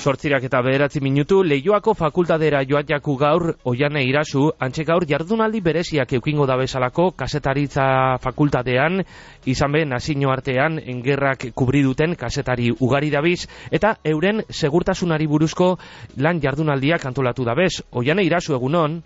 8:09 Leioako fakultatera joatjaku gaur Oiane Irasu, antxe gaur jardunaldi bereziak eukingo da bezalako kasetaritza fakultatean, izan be nazio artean engerrak kubri duten kasetari ugari dabiz, eta euren segurtasunari buruzko lan jardunaldiak antolatu dabez. Oiane Irasu, egunon?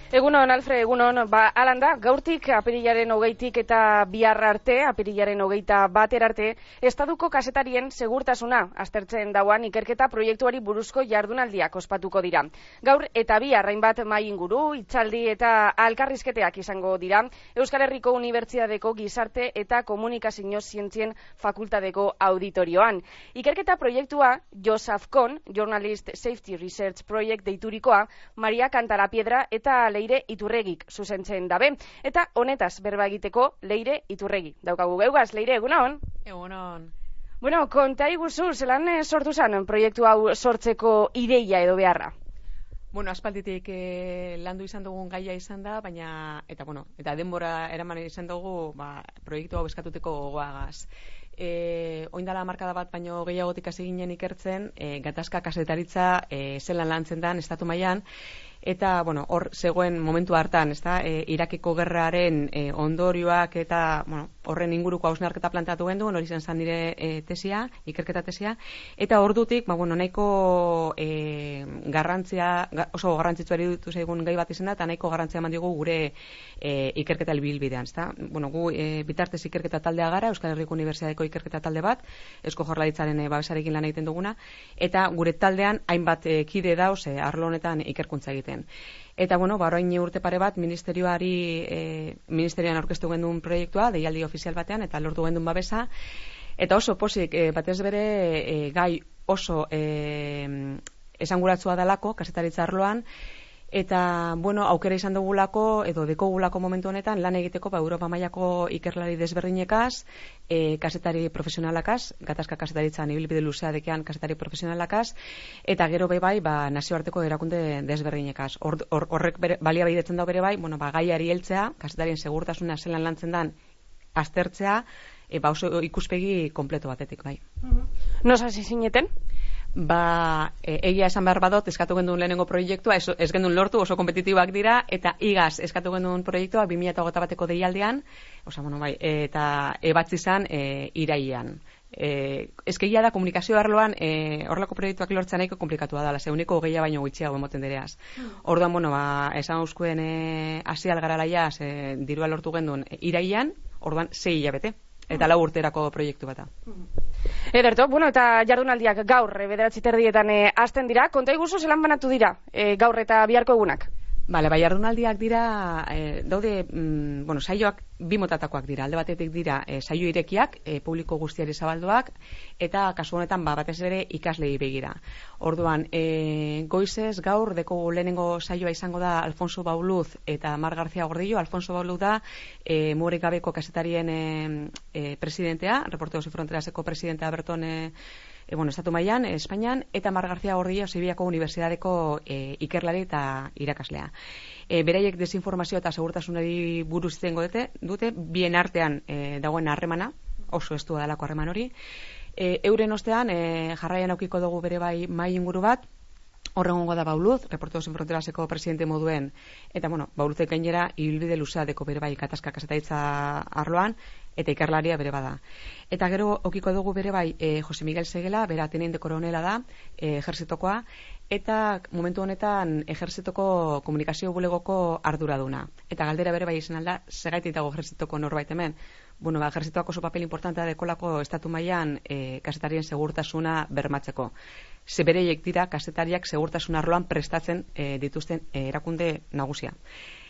Egunon, Alfred, egunon, alanda, gaurtik apirilaren 20 eta bihar arte, apirilaren 21 arte, estaduko kasetarien segurtasuna aztertzen dauan ikerketa proiektuari buruzko jardunaldiak ospatuko dira. Gaur eta bihar hainbat mahai inguru, hitzaldi eta alkarrizketeak izango dira, Euskal Herriko Unibertsitateko Gizarte eta Komunikazio Zientzien Fakultateko auditorioan. Ikerketa proiektua Joseph Kohn, Journalist Safety Research Project deiturikoa, Maria Cantarapiedra eta Leire Iturregik zuzentzen dabe. Eta honetaz berba egiteko Leire Iturregi daukagu geugaz. Leire, egunon? Egunon. Bueno, konta iguzu, zelan sortu zen proiektu hau sortzeko ideia edo beharra? Bueno, aspalditik landu izan dugun gaia izan da, baina, eta denbora eraman izan dugu, proiektu hau eskatuteko gogoagaz. Oindala markada bat baino gehiagotik hasi ginen ikertzen, gatazka kazetaritza zelan lantzen dan estatu mailan, eta hor zegoen momentu hartan, Irakeko gerraren ondorioak eta horren inguruko hausnarketa planteatu gendu, hori zen nire tesia, ikerketa tesia, eta ordutik nahiko garrantzia, oso garrantzitsua eridutu zaigun gai bat izan da, eta nahiko garrantzia eman digu gure ikerketa helbilbidean, gu bitartez ikerketa taldea gara, Euskal Herriko Unibertsitateko ikerketa talde bat, Eusko Jaurlaritzaren babesarekin lan egiten duguna, eta gure taldean hainbat kide dauz arlo honetan ikerkuntza egiten. Eta orain urte pare bat ministerioan aurkeztu genduen proiektua, deialdi ofizial batean, eta lortu genduen babesa, eta oso posik, batez bere gai oso esanguratsua dalako, kazetaritza arloan, eta aukera izan dugulako edo dekogulako momentu honetan lan egiteko Europa mailako ikerlari desberdinekaz, kazetari profesionalakaz, gatazka kazetaritzan ibilbide luzea dekean kazetari profesionalakaz, eta gero bai nazioarteko erakunde desberdinekaz. Horrek baliabidetzen da bere bai, gaiari heltzea, kazetarien segurtasuna zelan lantzen dan aztertzea, oso ikuspegi kompleto batetik bai. Nos hasi zineten? Egia esan behar badot, eskatu genduen lehenengo proiektua, ez genduen lortu, oso kompetitibak dira, eta igaz eskatu genduen proiektua 2021 bateko deialdean, eta ebatzi zan irailean. Ezkegia da, komunikazio arloan horrelako proiektuak lortzen nahiko komplikatua dela, zeuniko gehiago baino gutxiago emoten dereaz. Orduan, esan euskuen hasi algaralaia, dirua lortu genduen irailean, orduan 6 hilabete. Eta 4 urterako proiektu bata. Ederto, eta jardunaldiak gaur 9:30 hasten dira. Konta iguzu zelan banatu dira gaur eta biharko egunak? Jardunaldiak dira, daude, saioak bi motatakoak dira. Alde batetik dira saio irekiak, publiko guztiari zabalduak, eta kasu honetan batez ere ikaslei begira. Orduan, goizez gaur deko lehenengo saioa izango da Alfonso Bauluz eta Mar García Gordillo. Alfonso Bauluz da mugarik gabeko kazetarien presidentea, Reporteros Sin Fronteraseko presidentea berton estatu mailan, Espainian, eta Mar García Gordillo Sevillako Unibertsitateko ikerlari eta irakaslea. Beraiek desinformazio eta segurtasunari buruz izango dute, bien artean dagoen harremana, oso estua delako harreman hori. Euren ostean, jarraian aukiko dugu bere bai mahai inguru bat, horrengongo da Bauluz, Reporteros Sin Fronteraseko presidente moduen, eta Bauluzek gainera ibilbide luzea deko bere bai gatazka kazetaritza arloan, eta ikerlaria bere bada. Eta gero okiko dugu bere bai Jose Miguel Segela, bera teniente koronela da, ejerzitokoa, eta momentu honetan ejerzitoko komunikazio bulegoko arduraduna. Eta galdera bere bai izan alda, segaitik dago ejerzitoko norbait hemen. Ejerzitoak oso papel importantea dekolako estatu mailan kazetarien segurtasuna bermatzeko. Bereiek dira kazetariak segurtasun arloan prestatzen dituzten erakunde nagusia.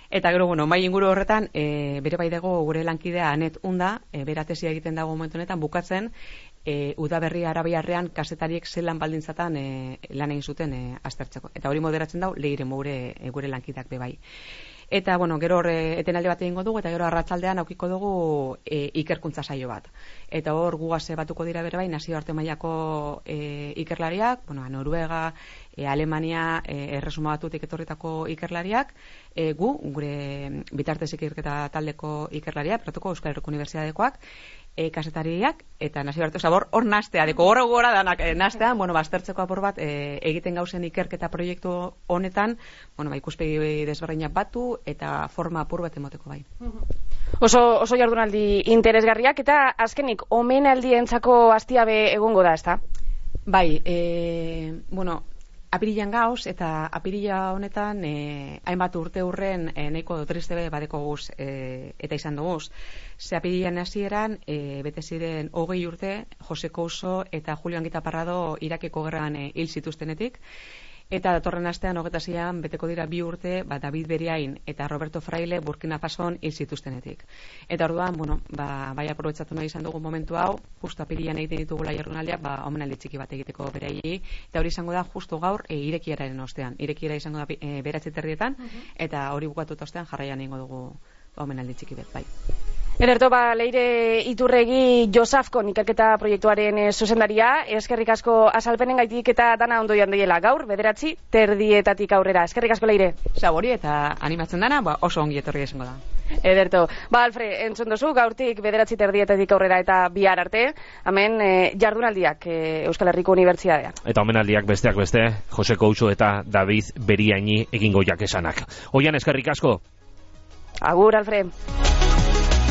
Eta gero, mai inguru horretan, bere bai dago gure lankidea Anet Unda, bera tesia egiten dago momentu honetan, bukatzen, udaberria arabiarrean kazetariek zelan baldintzatan lan egin zuten aztertzeko. Eta hori moderatzen dau, Leire gure lankideak be bai. Eta, gero etenaldi bat egingo dugu, eta gero arratsaldean aukiko dugu ikerkuntza saio bat. Eta hor gugaz batuko dira bere bai, nazioarte mailako ikerlariak, Noruega, Alemania, Erresuma Batutik etorritako ikerlariak, gure bitartez ikerketa taldeko ikerlariak, Euskal Herriko Unibertsitatekoak, kasetariak eta nazioarte zabor hor nastea deko gora danak nastean, bueno, baztertzeko apur bat egiten gauzen ikerketa proiektu honetan, bueno, ikuspegi desberdinak batu eta forma apur bat emoteko bai. Oso jardunaldi interesgarriak eta azkenik omenaldientzako astiabe egongo da, ezta? Bai, bueno, apirilan gauz, eta apirila honetan hainbat urte hurren nahiko triste badeko guz eta izan duguz. Ze apirilan hasieran bete ziren 20 urte Jose Couso eta Julio Anguita Parrado Irakeko gerran hil zituztenetik. Eta datorren astean 26an beteko dira 2 urte, David Beriain eta Roberto Fraile Burkina Fason hil zituztenetik. Eta orduan, bueno, bai aprobetxatu nahi izan dugu momentu hau, justo apirilan egiten ditugula jardunaldiak, omenaldi txiki bat egiteko beraiei, eta hori izango da justo gaur irekiararen ostean. Irekiara izango da 9:30 eta hori bukatuta ostean jarraian egingo dugu omenaldi txiki bat, bai. Ederto, Leire Iturregi Josafkon ikerketa proiektuaren zuzendaria, eskerrik asko azalpenen gaitik eta dana ondo joan deiela gaur, 9:30 aurrera. Eskerrik asko, Leire. Zabori eta animatzen dana, oso ongi etorri izango da. Ederto, Alfred, entzun duzu, gaurtik 9:30 aurrera eta bihar arte, hemen jardunaldiak Euskal Herriko Unibertsitatean. Eta omenaldiak besteak beste, Jose Couso eta David Beriaini egingo jakesanak. Oian, eskerrik asko. Agur, Alfred.